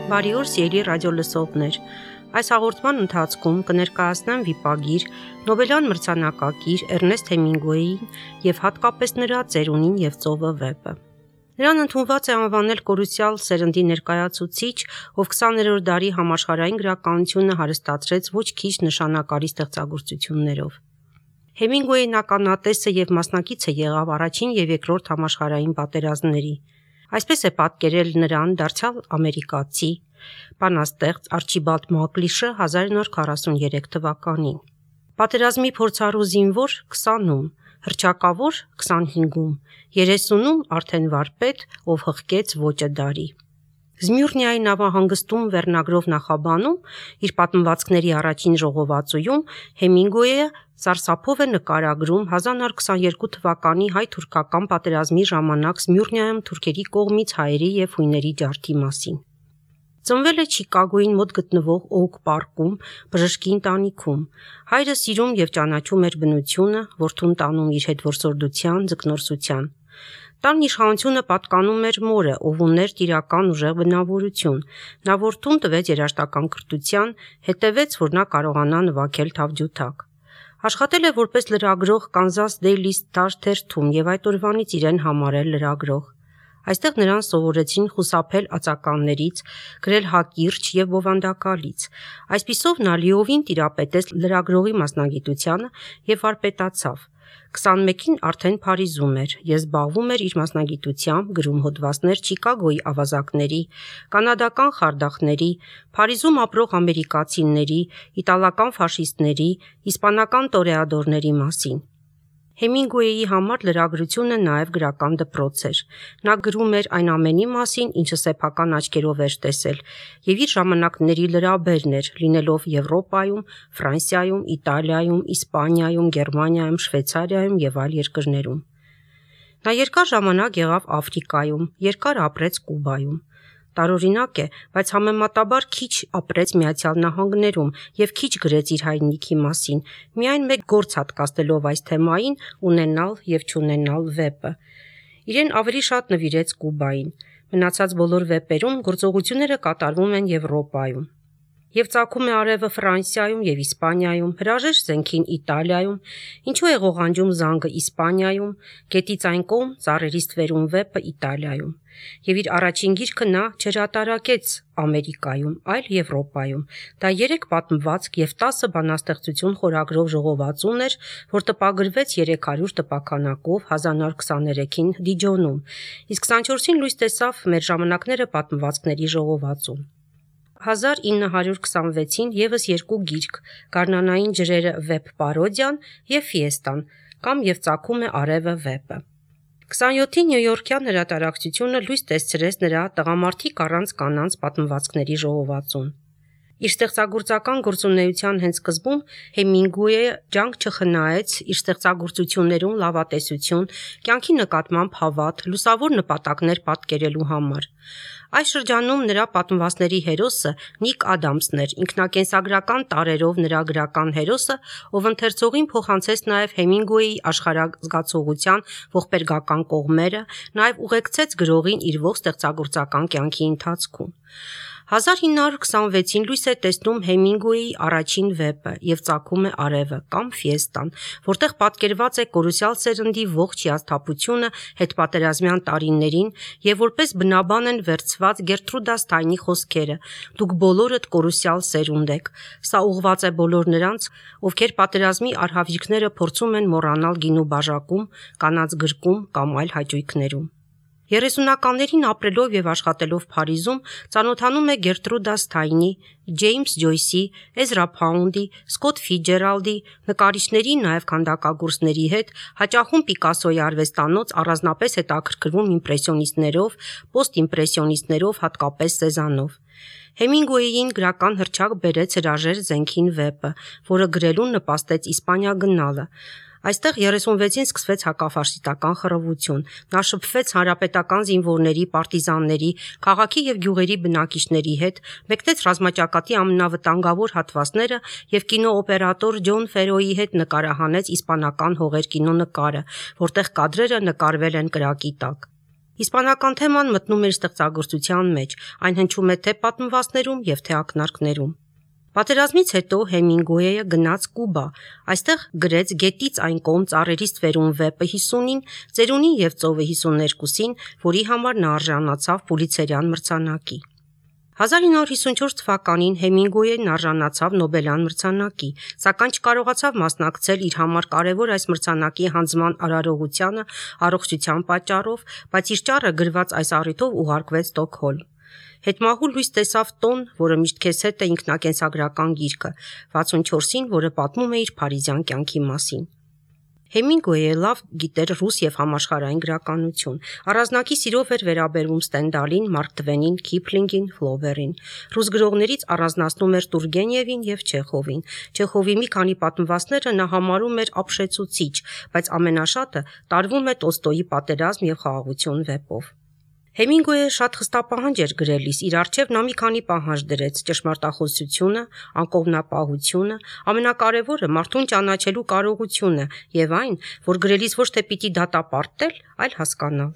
Բարի օր, սիրելի ռադիոլսողներ։ Այս հաղորդման ընթացքում կներկայացնեմ վիպագիր Նոբելյան մրցանակակիր Էրնեստ Հեմինգուեյին եւ հատկապես նրա ծերունին եւ ծովը վեպը։ Նրան ընդունված է անվանել կորուսյալ սերնդի ներկայացուցիչ, ով 20-րդ դարի համաշխարհային գրականությունը հարստացրեց ոչ քիչ նշանակալի ստեղծագործություններով։ Հեմինգուեյն ականատեսը եւ մասնակիցը եղավ առաջին եւ երկրորդ համաշխարհային պատերազմների։ Այսպես է պատկերել նրան դարձյալ ամերիկացի բանաստեղծ Արչիբալդ Մակլիշը 1943 թվականին։ Պատերազմի փորձառու զինվոր 20-ում, հռչակավոր 25-ում, 30-ում արդեն վարպետ, ով հղկեց ոճը դարի։ Զմյուրնիայի նավահանգստում վերնագրով նախաբանում իր պատմվածքների առաջին ժողովածուում Հեմինգուեյը սարսափով է նկարագրում 1922 թվականի հայ-թուրքական պատերազմի ժամանակ Զմյուրնիայում թուրքերի կողմից հայերի եւ հույների ջարդի մասին։ Ծնվել է Չիկագոյին մոտ գտնվող Օուք պարկում, բժշկի ընտանիքում։ Հայրը սիրում եւ ճանաչում էր բնությունը, որդուն տանում իր հետ որսորդության, ձկնորսության։ Տան իշխանությունը պատկանում էր մորը, ով ուներ տիրական ուժեղ բնավորություն։ Նա որդուն տվեց երաժշտական կրթության, հետևեց, որ նա կարողանա նվագել թավջութակ։ Աշխատել է որպես լրագրող Kansas Daily Star թերթում եւ այդ օրվանից իրեն համարել լրագրող։ Այստեղ նրան սովորեցին խուսափել ածականներից, գրել հակիրճ եւ բովանդակալից։ Այսպիսով նա լիովին տիրապետեց լրագրողի մասնագիտությանը եւ վարպետացավ։ 21-ին արդեն Փարիզում էր եւ զբաղվում էր իր մասնագիտությամբ, գրում հոդվածներ Չիկագոյի ավազակների, կանադական խարդախների, Փարիզում ապրող ամերիկացիների, իտալական ֆաշիստների, իսպանական տորեադորների մասին։ Հեմինգուեյի համար լրագրությունը նաև գրական դպրոց էր։ Նա գրում էր այն ամենի մասին, ինչը սեփական աչքերով էր տեսել, եւ իր ժամանակների լրաբերն էր, լինելով Եվրոպայում, Ֆրանսիայում, Իտալիայում, Իսպանիայում, Գերմանիայում, Շվեյցարիայում եւ այլ երկրներում։ Նա երկար ժամանակ եղավ Աֆրիկայում, երկար ապրեց Կուբայում։ Տարօրինակ է, բայց համեմատաբար քիչ ապրեց Միացյալ Նահանգներում եւ քիչ գրեց իր հայրենիքի մասին, միայն մեկ գործ հատկացնելով այս թեմային ունենալ եւ չունենալ վեպը։ Իրեն ավելի շատ նվիրեց Կուբային։ Մնացած բոլոր վեպերում գործողությունները կատարվում են Եվրոպայում։ Եվ ծագում է արևը Ֆրանսիայում եւ Իսպանիայում, հրաժեշտ զենքին Իտալիայում, ինչու է ղողանջում զանգը Իսպանիայում, գետից այն կողմ ծառերի ստվերում վեպը Իտալիայում։ Եվ իր առաջին գիրքը նա չհրատարակեց Ամերիկայում, այլ Եվրոպայում։ Դա 3 պատմվածք եւ 10 բանաստեղծություն խորագրով ժողովածուն էր, որ տպագրվեց 300 տպաքանակով 1923-ին Դիջոնում, իսկ 24-ին լույս տեսավ մեր ժամանակները պատմվածքների ժողովածուն։ 1926-ին եւս 2 գիրք՝ Գարնանային ջրերը վեպ պարոդիան եւ Ֆիեստան, կամ եւ ծագում է արևը վեպը։ 27-ի Նյույորքյան հրատարակչությունը լույս տեսրեց նրա Տղամարդիկ առանց կանանց պատմվածքների ժողովածուն։ Իր ստեղծագործական գործունեության հենց սկզբում Հեմինգուեյը ջանք չխնայեց իր ստեղծագործություններում լավատեսություն, կյանքի նկատմամբ հավատ, լուսավոր նպատակներ պատկերելու համար։ Այս շրջանում նրա պատմվածքների հերոսը Նիկ Ադամսն էր, ինքնակենսագրական տարրերով նրա գրական հերոսը, ով ընթերցողին փոխանցեց նաև Հեմինգուեյի աշխարհազգացողության ողբերգական կողմերը, նաև ուղեկցեց գրողին իր ողջ ստեղծագործական կյանքի ընթացքում։ 1926-ին լույս է տեսնում Հեմինգուեյի առաջին վեպը եւ ծագում է արևը կամ Ֆիեստան, որտեղ պատկերված է կորուսյալ սերնդի ողջ հիասթափությունը հետպատերազմյան տարիներին եւ որպես բնաբան են վերցված Գերտրուդա Սթայնի խոսքերը. «Դուք բոլորդ կորուսյալ սերունդ եք»։ Սա ուղղված է բոլոր նրանց, ովքեր պատերազմի արհավիրքները փորձում են մոռանալ գինու բաժակում, կանանց գրկում կամ այլ հաճույքներում։ 30-ականներին ապրելով եւ աշխատելով Փարիզում ծանոթանում է Գերտրուդա Սթայնի, Ջեյմս Ջոյսի, Էզրա Փաունդի, Սկոտ Ֆիցջերալդի, նկարիչների, նաև քանդակագործների հետ, հաճախում Պիկասոյի արվեստանոց, առանձնապես հետաքրքրվում իմպրեսիոնիստներով, պոստիմպրեսիոնիստներով, հատկապես Սեզանով։ Հեմինգուեյին գրական հռչակ բերեց հրաժեշտ զենքին վեպը, որը գրելուն նպաստեց Իսպանիա գնալը։ Այստեղ 36-ին սկսվեց հակաֆաշիստական խռովություն։ Նա շփվեց հանրապետական զինվորների, պարտիզանների, քաղաքի եւ գյուղերի բնակիչների հետ, մեկնեց ռազմաճակատի ամենավտանգավոր հատվածները եւ կինոօպերատոր Ջոն Ֆերոյի հետ նկարահանեց իսպանական հողեր կինոնկարը, որտեղ կադրերը նկարվել են կրակի տակ։ Իսպանական թեման մտնում էր ստեղծագործության մեջ, այն հնչում է թե պատմվածներում եւ թե ակնարկներում։ Պատերազմից հետո Հեմինգուեյը գնաց Կուբա, այստեղ գրեց Գետից այն կողմ ծառերից ստվերուն վեպը 50-ին, Ծերունին եւ ծովը 52-ին, որի համար նա արժանացավ Պուլիցերյան մրցանակի։ 1954 թվականին Հեմինգուեյն արժանացավ Նոբելյան մրցանակի, սակայն չկարողացավ մասնակցել իր համար կարևոր այս մրցանակի հանձնման արարողությանը առողջության պատճառով, բայց իր ճառը գրված այս առիթով ուղարկվեց Ստոկհոլմ։ Հետմահու լույս տեսավ տոն, որը միշտ քեզ հետ է ինքնակենսագրական գիրքը, 64-ին, որը պատմում է իր փարիզյան կյանքի մասին։ Հեմինգուեյը լավ գիտեր ռուս եւ համաշխարհային գրականություն։ Առանձնակի սիրով էր վերաբերվում Ստենդալին, Մարկ Տվենին, Քիփլինգին, Ֆլոբերին։ Ռուս գրողներից առանձնացնում էր Տուրգենևին եւ Չեխովին։ Չեխովի մի քանի պատմվածքները նա համարում էր ապշեցուցիչ, բայց ամենաշատը տարվում է Տոլստոյի Պատերազմ եւ խաղաղություն վեպով։ Հեմինգուեյը շատ խստապահանջ էր գրելիս, իր առջև նա մի քանի պահանջ դրեց՝ ճշմարտախոսությունը, անկողմնապահությունը, ամենակարևորը մարդուն ճանաչելու կարողությունը եւ այն, որ գրելիս ոչ թե պիտի դատապարտել, այլ հասկանալ։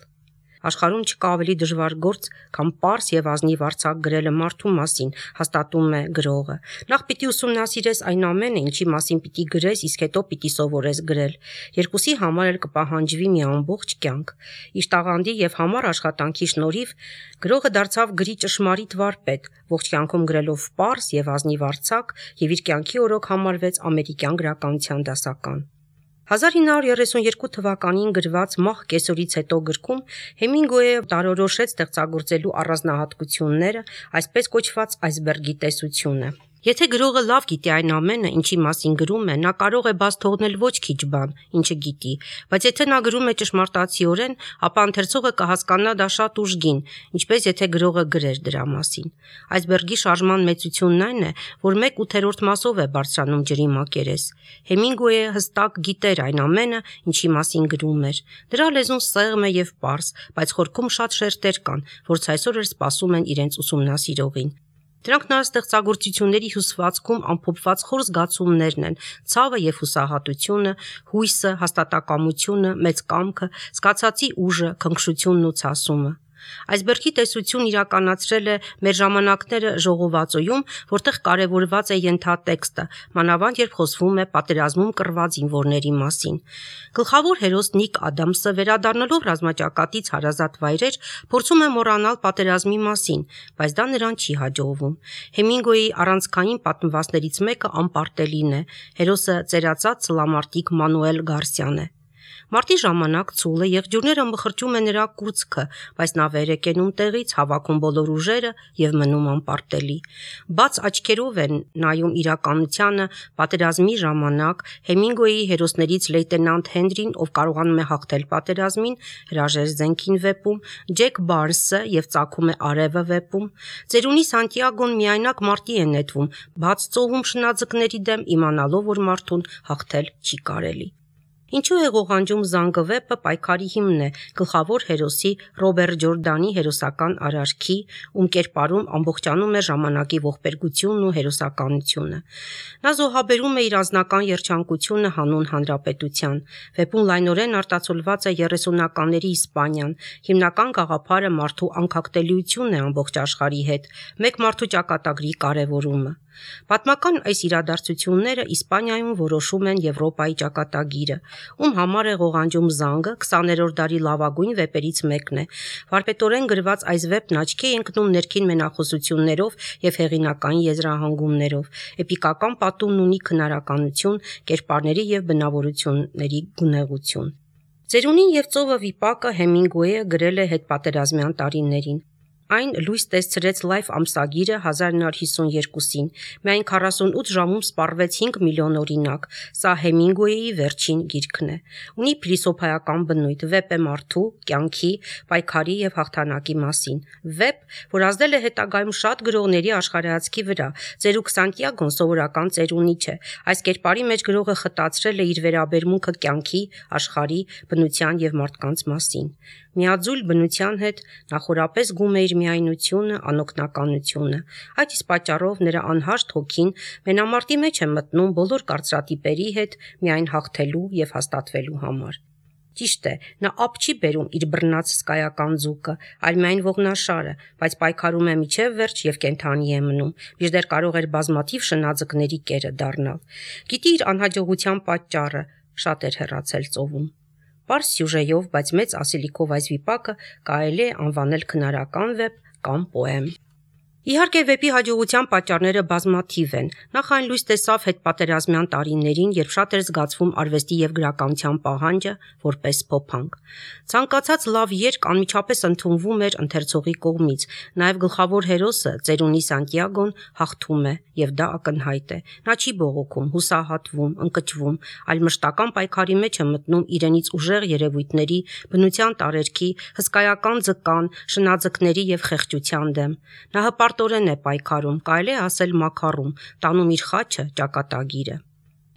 Աշխարհում չկա ավելի դժվար գործ, քան պարզ եւ ազնիվ արձակ գրելը մարդու մասին, հաստատում է գրողը։ Նախ պիտի ուսումնասիրես այն ամենը, ինչի մասին պիտի գրես, իսկ հետո պիտի սովորես գրել։ Երկուսի համար էլ կպահանջվի մի ամբողջ կյանք։ Իր տաղանդի եւ համառ աշխատանքի շնորհիվ գրողը դարձավ գրի ճշմարիտ վարպետ, ողջ կյանքում գրելով պարզ եւ ազնիվ արձակ եւ իր կյանքի օրոք համարվեց ամերիկյան գրականության դասական։ 1932 թվականին գրված «Մահ կեսօրից հետո» գրքում Հեմինգուեյը տարորոշեց ստեղծագործելու առանձնահատկությունները, այսպես կոչված այսբերգի տեսությունը։ Եթե գրողը լավ գիտի այն ամենը, ինչի մասին գրում է, նա կարող է բաց թողնել ոչ քիչ բան, ինչը գիտի, բայց եթե նա գրում է ճշմարտացիորեն, ապա ընթերցողը կհասկանա դա շատ ուժգին, ինչպես եթե գրողը գրեր դրա մասին։ Այսբերգի շարժման մեծությունն այն է, որ 1/8 մասով է բարձրանում ջրի մակերես։ Հեմինգուեյը հստակ գիտեր այն ամենը, ինչի մասին գրում էր։ Դրա լեզուն սեղմ է եւ պարզ, բայց խորքում շատ շերտեր կան, որ ցայսօր էլ սպասում են իրենց ուսումնասիրողին։ Դրանք նրա ստեղծագործությունների հյուսվածքում ամփոփված խոր զգացումներն են՝ ցավը եւ հուսահատությունը, հույսը, հաստատակամությունը, մեծ կամքը, զգացածի ուժը, քնքշությունն ու ցասումը։ Այսբերգի տեսություն իրականացրել է մեր ժամանակները ժողովածոյում, որտեղ կարևորված է ենթատեքստը, մանավանդ երբ խոսվում է պատերազմում կռված զինվորների մասին։ Գլխավոր հերոս Նիկ Ադամսը, վերադառնալով ռազմաճակատից հարազատ վայրեր, փորձում է մոռանալ պատերազմի մասին, բայց դա նրան չի հաջողվում։ Հեմինգուեյի առանցքային պատմվածներից մեկը անպարտելին է։ Հերոսը ծերացած սլամարտիկ Մանուել Գարսիան է։ Մարտի ժամանակ ցուլը եղջյուրները մխրճում է նրա կուրծքը, բայց նա վեր է կենում տեղից, հավաքում բոլոր ուժերը եւ մնում անպարտելի։ Բաց աչքերով է նայում իրականությանը պատերազմի ժամանակ Հեմինգուեյի հերոսներից լեյտենանտ Հենրին, ով կարողանում է հաղթել պատերազմին, հրաժեշտ զենքին վեպում, Ջեք Բարնսը եւ Ծագում է արևը վեպում։ Ծերունի Սանտիագոն միայնակ մարտի է նետվում, բաց ծովում շնաձկների դեմ, իմանալով, որ մարդուն հաղթել չի կարելի։ Ինչու է ղողանջում զանգը վեպը պայքարի հիմնն է գլխավոր հերոսի Ռոբերտ Ջորդանի հերոսական արարքի, ում կերպարում ամբողջանում է ժամանակի ողբերգությունն ու հերոսականությունը։ Նա զոհաբերում է իր անձնական երջանկությունը հանուն հանրապետության։ Վեպում լայնորեն արտացոլված է 30-ականների Իսպանիան, հիմնական գաղափարը մարդու անկախտելիությունն է ամբողջ աշխարհի հետ, մեկ մարդու ճակատագրի կարևորումը։ Պատմական այս իրադարձությունները Իսպանիայում որոշում են Եվրոպայի ճակատագիրը, ում համար է ղողանջում զանգը 20-րդ դարի լավագույն վեպերից մեկն է։ Վարպետորեն գրված այս վեպն աչքի է ընկնում ներքին մենախոսություններով եւ հեղինակային եզրահանգումներով։ Էպիկական պատումն ունի քնարականություն, կերպարների եւ բնավորությունների գունեղություն։ Ծերունին եւ ծովը վիպակը Հեմինգուեյը գրել է հետպատերազմյան տարիներին։ Այն լույս տեսցրեց Life ամսագիրը 1952-ին։ Միայն 48 ժամում սպառվեց 5 միլիոն օրինակ։ Սա Հեմինգուեյի վերջին գիրքն է։ Ունի փիլիսոփայական բնույթ, վեպ է մարդու, կյանքի, պայքարի եւ հաղթանակի մասին։ Վեպ, որ ազդել է հետագայում շատ գրողների աշխարհայացքի վրա։ Ծերուկ Սանտիագոն սովորական ծերունի չէ։ Այս կերպարի մեջ գրողը խտացրել է իր վերաբերմունքը կյանքի, աշխարհի, բնության եւ մարդկանց մասին։ Միաձուլ բնության հետ նախորապես գում է իր միայնությունը, անօգնականությունը։ Այդ իսկ պատճառով նրա անհաշտ հոգին մենամարտի մեջ է մտնում բոլոր կարծրատիպերի հետ միայն հաղթելու եւ հաստատվելու համար։ Ճիշտ է, նա ափ չի բերում իր բռնած հսկայական ձուկը, այլ միայն ողնաշարը, բայց պայքարում է միջև վերջ եւ կենդանի է մնում, մինչդեռ կարող էր բազմաթիվ շնաձկների կերը դառնալ։ Գիտի իր անհաջողության պատճառը, շատ էր հեռացել ծովում։ Պարզ սյուժեով, բայց մեծ ասելիքով այս վիպակը կարելի է անվանել քնարական վեպ կամ պոեմ։ Իհարկե վեպի հաջողության պատճառները բազմաթիվ են։ Նախ այն լույս տեսավ հետպատերազմյան տարիներին, երբ շատ էր զգացվում արվեստի եւ գրականության պահանջը որպես փոփանք։ Ցանկացած լավ երգ անմիջապես ընդունվում էր ընթերցողի կողմից, նաեւ գլխավոր հերոսը Ծերունի Սանտիագոն հաղթում է, եւ դա ակնհայտ է։ Նա չի բողոքում, հուսահատվում, ընկճվում, այլ մշտական պայքարի մեջ է մտնում իրենից ուժեղ երևույթների, բնության տարերքի, հսկայական ձկան, շնաձկների եւ խեղճության դեմ։ Նա հպարտորեն է պայքարում, կարելի է ասել մաքարում, տանում իր խաչը, ճակատագիրը։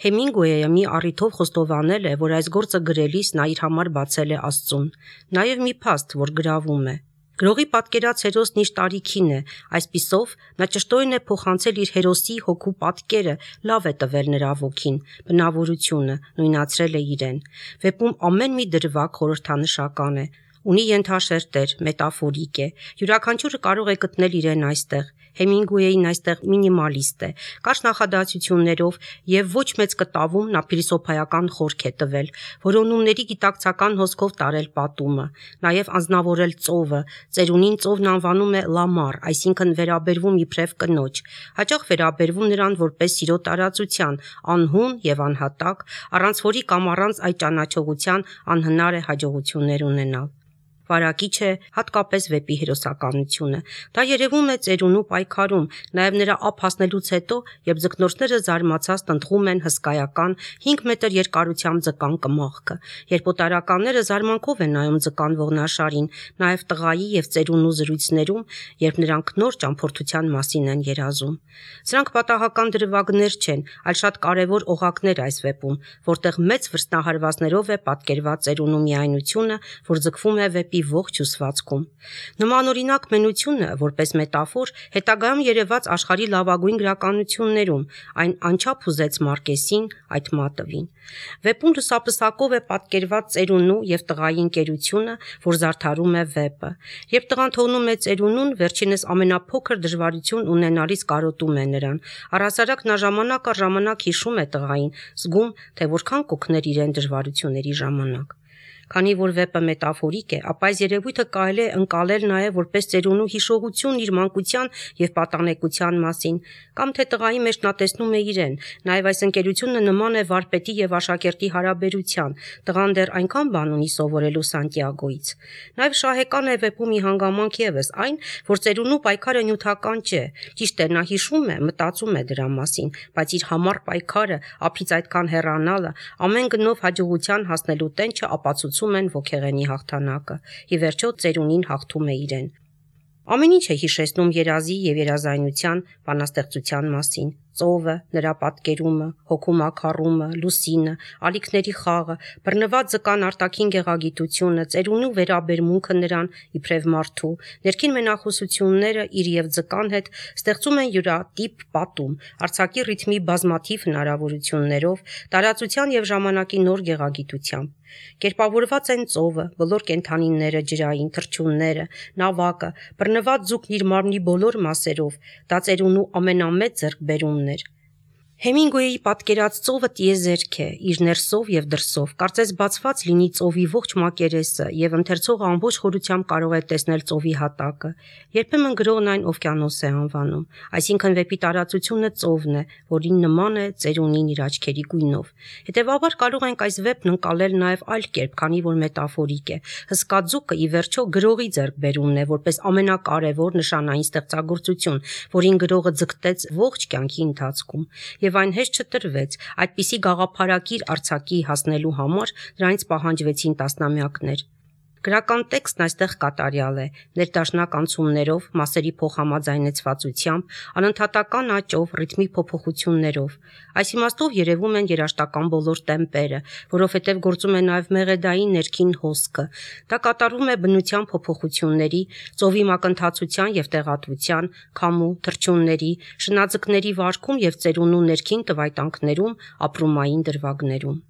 Հեմինգուեյը մի առիթով խոստովանել է, որ այս գործը գրելիս նա իր համար բացել է Աստծուն, նաև մի փաստ, որ գրավում է։ Գրողի պատկերած հերոսն իր տարիքին է, այսպիսով նա ճշտորեն է փոխանցել իր հերոսի հոգու պատկերը, լավ է տվել նրա ոգին, բնավորությունը, նույնացրել է իրեն։ Վեպում ամեն մի դրվագ խորհրդանշական է, ունի ենթաշերտեր, մետաֆորիկ է, յուրաքանչյուրը կարող է գտնել իրեն այստեղ։ Հեմինգուեյին այստեղ մինիմալիստ է, կարճ նախադասություններով եւ ոչ մեծ կտավում նա փիլիսոփայական խորք է տվել, որոնումների գիտակցական հոսքով տարել պատումը, նաեւ անznավորել ծովը, Ծերունին ծովն անվանում է լամար, այսինքն վերաբերվում իբրև կնոջ, հաճախ վերաբերվում նրան որպես սիրո տարածության, անհուն եւ անհատակ, առանց որի կամ առանց այդ ճանաչողության անհնար է հաջողություններ ունենալ։ Վարակիչ է հատկապես վեպի հերոսականությունը։ Դա երևում է Ծերունու պայքարում, նաև նրա ափ հասնելուց հետո, երբ ձկնորսները զարմացած տնտղում են հսկայական 5 մետր երկարությամբ ձկան կմախքը, երբ օտարականները զարմանքով են նայում ձկան ողնաշարին, նաև տղայի եւ Ծերունու զրույցներում, երբ նրանք նոր ճամփորդության մասին են երազում։ Սրանք պատահական դրվագներ չեն, այլ շատ կարևոր օղակներ այս վեպում, որտեղ մեծ վրձնահարվածներով է պատկերված Ծերունու միայնությունը, որ ձգվում է վեպի ողջ հյուսվածքում։ Նմանօրինակ մենությունը, որպես մետաֆոր, հետագայում երևաց աշխարհի լավագույն գրականություններում, այն անչափ հուզեց Մարկեսին, այդ մատվին։ Վեպում լուսապսակով է պատկերված Ծերունու եւ տղայի ընկերությունը, որ զարդարում է վեպը։ Երբ տղան թողնում է Ծերունուն, վերջինս ամենափոքր դժվարություն ունենալից կարոտում է նրան։ Առհասարակ նա ժամանակ առ ժամանակ հիշում է տղային, զգում, թե որքան կօգներ իրեն դժվարությունների ժամանակ։ Քանի որ վեպը մետաֆորիկ է, ապա այս երևույթը կարելի է ընկալել նաև որպես Ծերունու հիշողություն իր մանկության եւ պատանեկության մասին, կամ թե տղայի մեջ նա տեսնում է իրեն, նաև այս ընկերությունը նման է վարպետի եւ աշակերտի հարաբերության, տղան դեռ այնքան բան ունի սովորելու Սանտիագոից։ Նաև շահեկան է վեպում մի հանգամանք եւս այն, որ Ծերունու պայքարը նյութական չէ, ճիշտ է, նա հիշում է, մտածում է դրա մասին, բայց իր համառ պայքարը, ափից այդքան հեռանալը, ամեն գնով հաջողության հասնելու տենչը ապացուցում են ոգեղենի հաղթանակը։ Ի վերջո Ծերունին հաղթում է իրեն։ Ամեն ինչ է հիշեցնում երազի եւ երազայնության բանաստեղծության մասին։ Ծովը, նրա պատկերումը, հոգու մաքարումը, լուսինը, ալիքների խաղը, բռնված ձկան արտաքին գեղագիտությունը, Ծերունու վերաբերմունքը նրան իբրև մարդու, ներքին մենախոսությունները իր եւ ձկան հետ ստեղծում են յուրատիպ պատում, արձակի ռիթմի բազմաթիվ հնարավորություններով, տարածության եւ ժամանակի նոր գեղագիտությամբ։ Կերպավորված են ծովը, բոլոր կենդանիները, ջրային թռչունները, նավակը, բռնված ձուկն իր մարմնի բոլոր մասերով, դա Ծերունու ամենամեծ ձեռքբերումն էր։ Հեմինգուեյի պատկերած ծովը տիեզերք է, իր ներսով եւ դրսով, կարծես բացված լինի ծովի ողջ մակերեսը եւ ընթերցողը ամբողջ խորությամբ կարող է տեսնել ծովի հատակը։ Երբեմն գրողն այն օվկիանոս է անվանում, այսինքն վեպի տարածությունը ծովն է, որին նման է Ծերունին իր աչքերի գույնով։ Հետևաբար կարող ենք այս վեպն ընկալել նաեւ այլ կերպ, քանի որ մետաֆորիկ է։ Հսկա ձուկը ի վերջո գրողի ձեռքբերումն է, որպես ամենակարևոր նշանային ստեղծագործություն, որին գրողը ձգտեց ողջ կյանքի ընթացքում։ Եվ այն հեշտ չտրվեց, այդպիսի գաղափարակիր արձակի հասնելու համար դրանից պահանջվեցին տասնամյակներ։ Գրական տեքստն այստեղ կատարյալ է, ներդաշնակ անցումներով, մասերի փոխհամաձայնեցվածությամբ, անընդհատական աճով, ռիթմի փոփոխություններով։ Այս իմաստով երևում են երաժշտական բոլոր տեմպերը, որովհետև գործում է նաև մեղեդային ներքին հոսքը։ Դա կատարվում է բնության փոփոխությունների, ծովի մակընթացության եւ տեղատվության, քամու, թռչունների, շնաձկների վարքում եւ Ծերունու ներքին տվայտանքներում, ապրումային դրվագներում։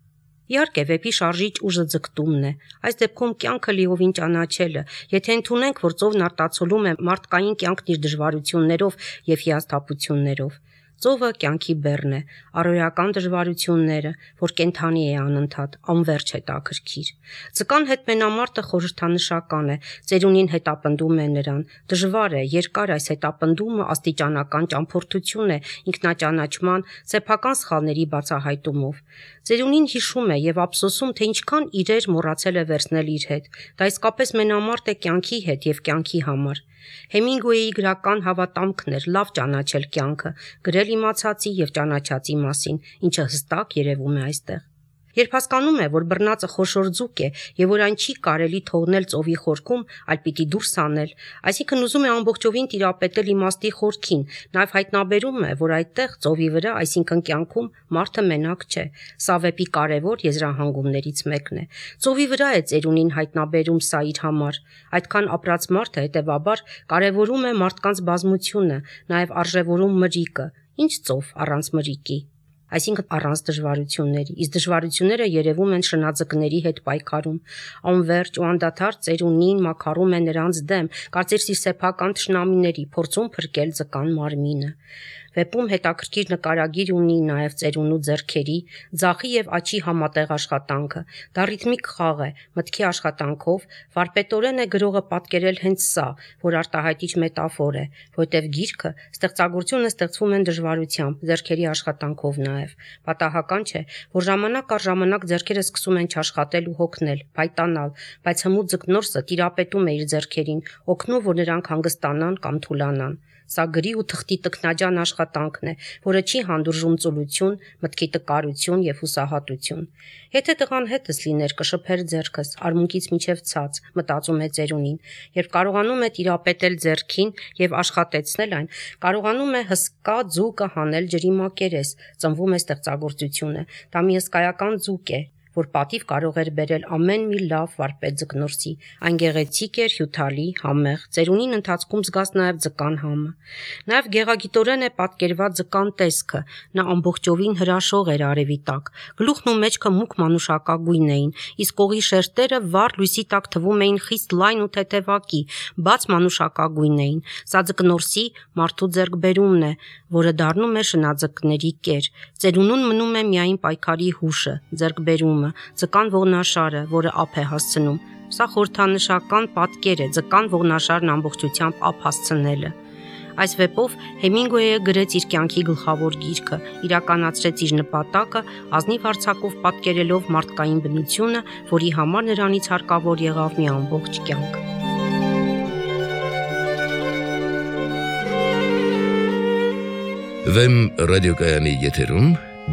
Իհարկե, վեպի շարժիչ ուժը ձգտումն է։ Այս դեպքում կյանքը լիովին ճանաչելը, եթե ընդունենք, որ ծովն արտացոլում է մարդկային կյանքն իր դժվարություններով եւ հիասթափություններով։ Ծովը կյանքի բեռն է, առօրյական դժվարությունները, որ կենթանի է անընդհատ, անվերջ հետաքրքիր։ Ձկան հետ մենամարտը խորհրդանշական է, ծերունին հետապնդում է նրան։ Դժվար է, երկար այս հետապնդումը աստիճանական ճամփորդություն է ինքնաճանաչման, սեփական սխալների բացահայտումով։ Ծերունին հիշում է եւ ափսոսում, թե ինչքան իրեր մոռացել է վերցնել իր հետ։ Դա իսկապես մենամարտ է կյանքի հետ եւ կյանքի համար։ Հեմինգուեյի գրական հավատամքն էր լավ ճանաչել կյանքը, գրել իմացածի եւ ճանաչածի մասին, ինչը հստակ երևում է այստեղ։ Երբ հասկանում է, որ բռնածը խոշոր ձուկ է եւ որ այն չի կարելի թողնել ծովի խորքում, այլ պիտի դուրս անել, այսինքն ուզում է ամբողջովին տիրապետել իմաստի խորքին, նաեւ հայտնաբերում է, որ այդտեղ ծովի վրա, այսինքն կյանքում, մարդը մենակ չէ։ Սա վեպի կարևոր եզրահանգումներից մեկն է։ Ծովի վրա է ծերունին հայտնաբերում սա իր համար։ Այդքան ապրած մարդը հետեւաբար կարևորում է մարդկանց բազմությունը, նաեւ արժևորում մրիկը։ Ինչ ծով առանց մրիկի։ Այսինքն առանց դժվարությունների, իսկ դժվարությունները երևում են շնաձկների հետ պայքարում։ Անվերջ ու անդադար ծերունին մաքարում է նրանց դեմ, կարծես իր սեփական թշնամիների, փորձում փրկել ձկան մարմինը։ Վեպում հետաքրքիր նկարագիր ունի նաև ծերունու ձեռքերի, ձախի եւ աչի համատեղ աշխատանքը։ Դա ռիթմիկ խաղ է, մտքի աշխատանքով, վարպետորեն է գրողը պատկերել հենց սա, որ արտահայտիչ մետաֆոր է, որտեղ գիրքը, ստեղծագործությունը ստեղծվում են դժվարությամբ, ձեռքերի աշխատանքով նաև։ Պատահական չէ, որ ժամանակ առ ժամանակ ձեռքերը սկսում են չաշխատել ու հոգնել, փայտանալ, բայց հմուտ ձկնորսը տիրապետում է իր ձեռքերին, օգնում, որ նրանք հանգստանան կամ թուլանան։ Սա գրի ու թղթի տքնաջան աշխատանքն է, որը չի հանդուրժում ծուլություն, մտքի տկարություն եւ հուսահատություն։ Եթե տղան հետս լիներ, կշփեր ձեռքս, արմունկից մինչև ցած, մտածում է ծերունին, երբ կարողանում է տիրապետել ձեռքին եւ աշխատեցնել այն, կարողանում է հսկա ձուկը հանել ջրի մակերես, ծնվում է ստեղծագործությունը։ Դա մի հսկայական ձուկ է, որ պատիվ կարող էր բերել ամեն մի լավ վարպետ ձկնորսի։ Այն գեղեցիկ էր, հյութալի, համեղ, ծերունին ընթացքում զգաց նաև ձկան համը։ Նաև գեղագիտորեն է պատկերված ձկան տեսքը, նա ամբողջովին հրաշող էր արևի տակ, գլուխն ու մեջքը մուգ մանուշակագույն էին, իսկ կողի շերտերը վառ լույսի տակ թվում էին խիստ լայն ու թեթևակի, բաց մանուշակագույն էին։ Սա ձկնորսի մարդու ձեռքբերումն է, որը դառնում է շնաձկների կեր։ Ծերունուն մնում է միայն պայքարի հուշը, ձեռքբերումը, ձկան ողնաշարը, որը ափ է հասցնում։ Սա խորհրդանշական պատկեր է, ձկան ողնաշարն ամբողջությամբ ափ հասցնելը։ Այս վեպով Հեմինգուեյը գրեց իր կյանքի գլխավոր գիրքը, իրականացրեց իր նպատակը, ազնիվ արձակով պատկերելով մարդկային բնությունը, որի համար նրանից հարկավոր եղավ մի ամբողջ կյանք։ Վեմ ռադիոկայանի եթերում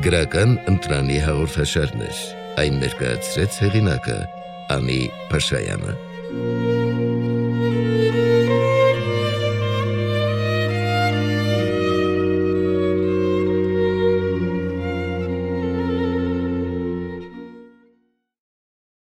գրական ընտրանի հաղորդաշարներ։ Այն ներկայացրեց հեղինակը Անի Փաշայանը։